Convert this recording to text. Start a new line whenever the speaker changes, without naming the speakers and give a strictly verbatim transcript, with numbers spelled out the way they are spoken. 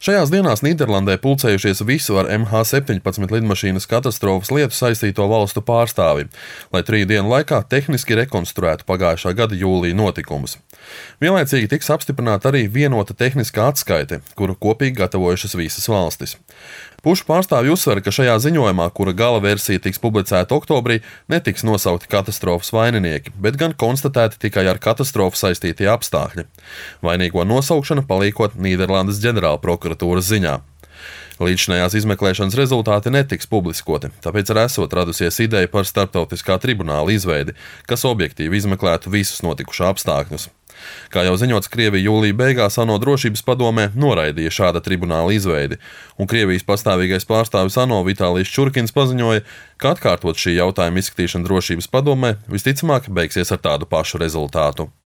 Šajās dienās Nīderlandē pulcējušies visu ar M H septiņpadsmit lidmašīnas katastrofas lietu saistīto valstu pārstāvi, lai trīs dienu laikā tehniski rekonstruētu pagājušā gada jūlija notikumus. Vienlaicīgi tiks apstiprināta arī vienota tehniskā atskaite, kuru kopīgi gatavojušas visas valstis. Pušu pārstāvji uzsver, ka šajā ziņojumā, kura gala versija tiks publicēta oktobrī, netiks nosaukti katastrofas vaininieki, bet gan konstatēti tikai ar katastrofu saistītie apstākļi. Vainīgo nosaukšana paliekot Nīderlandes ģenerālprokuratūras ziņā. Līdzinājās izmeklēšanas rezultāti netiks publiskoti, tāpēc arī esot radusies ideja par starptautiskā tribunāla izveidi, kas objektīvi izmeklētu visus notikušā apstākļus. Kā jau ziņots, Krievija jūlija beigās ANO drošības padomē noraidīja šāda tribunāla izveidi, un Krievijas pastāvīgais pārstāvis ANO Vitālijs Čurkins paziņoja, ka atkārtot šī jautājuma izskatīšana drošības padomē visticamāk beigsies ar tādu pašu rezultātu.